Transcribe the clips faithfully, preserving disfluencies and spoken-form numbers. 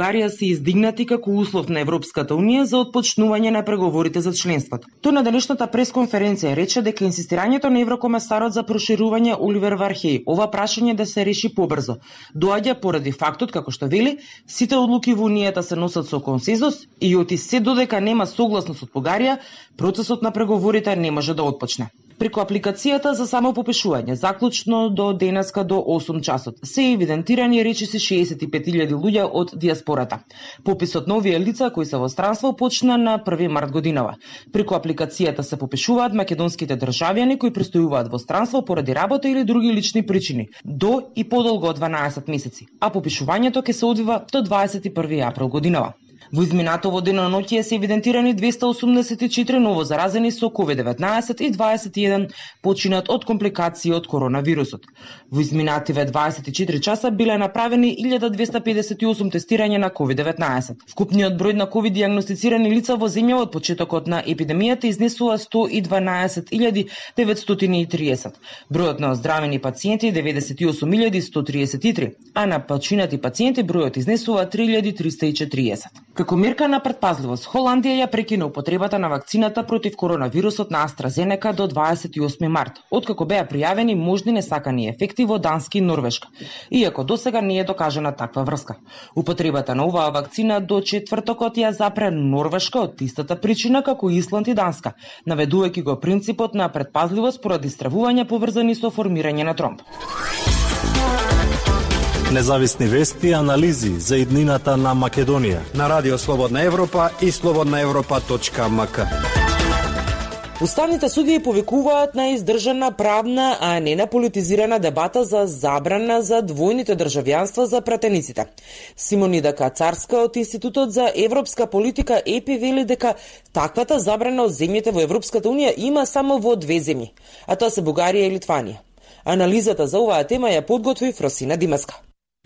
Бугарија се издигнати како услов на Европската унија за отпочнување на преговорите за членството. Тој на денешната пресконференција рече дека инсистирањето на еврокомесарот за проширување Оливер Вархеј ова прашање да се реши побрзо доаѓа поради фактот, како што вели, сите одлуки во унијата се носат со консензус и оти се додека нема согласност од Бугарија, процесот на преговорите не може да отпочне. Преку апликацијата за самопопишување, заклучно до денеска до осум часот, се евидентирани речиси шеесет и пет илјади луѓе од диаспората. Пописот на овие лица кои се во странство почна на први март годинава. Преку апликацијата се попишуваат македонските државјани кои престојуваат во странство поради работа или други лични причини, до и подолго од дванаесет месеци, а попишувањето ќе се одвива до дваесет и први април годинава. Во изминатово деноноќие се евидентирани двеста осумдесет и четири ново заразени со ковид деветнаесет и дваесет и еден починат од компликации од коронавирусот. Во изминативе дваесет и четири часа биле направени илјада двеста педесет и осум тестирања на ковид деветнаесет. Вкупниот број на ковид дијагностицирани лица во земја од почетокот на епидемијата изнесува сто и дванаесет илјади деветстотини и триесет. Бројот на оздравени пациенти деветдесет и осум илјади сто триесет и три, а на починати пациенти бројот изнесува три илјади триста и четириесет. Како мерка на претпазливост, Холандија ја прекина употребата на вакцината против коронавирусот на AstraZeneca до дваесет и осми март, откако беа пријавени можни несакани ефекти во Данска и Норвешка, иако досега не е докажана таква врска. Употребата на оваа вакцина до четвртокот ја запре Норвешка од истата причина како Исланд и Данска, наведувајќи го принципот на претпазливост поради стравувања поврзани со формирање на тромб. Независни вести и анализи за иднината на Македонија на Радио Слободна Европа и слободна европа точка ем ка. Уставните судии повикуваат на издржана правна, а не на политизирана дебата за забрана за двојните државјанства за пратениците. Симонида Кацарска од Институтот за европска политика ЕПИ вели дека таквата забрана од земјите во Европската унија има само во две земји, а тоа се Бугарија и Литванија. Анализата за оваа тема ја подготви Фросина Димаска.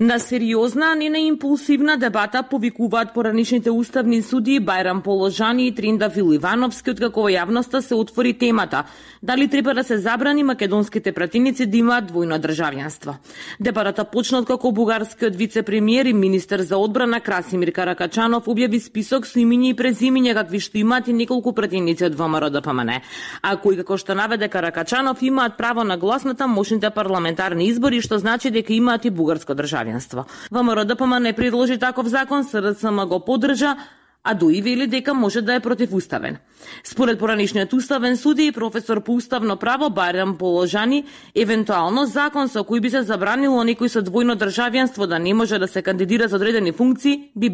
На сериозна, а не на импулсивна дебата повикуваат поранишните уставни судии Бајрам Положани и Триндафил Ивановски, откако во јавноста се отвори темата дали треба да се забрани македонските пратеници да имаат двојно државјанство. Дебатата почна откако бугарскиот вице-премиер и министер за одбрана Красимир Каракачанов објави список со имиња и презимиња какви што имаат и неколку пратеници од ВМРО Д П М Н, а кои, како што наведе Каракачанов, имаат право на глас на тамошните парламентарни избори, што значи дека имаат и бугарско државјанство. ВМРО Д П М Н предложи таков закон, С Р С М го поддржа, а ДОИ вели дека може да е противуставен. Според поранишниот уставен суди и професор по уставно право Бајрам Положани, евентуално закон со кој би се забранило некој со двојно државјанство да не може да се кандидира за одредени функции би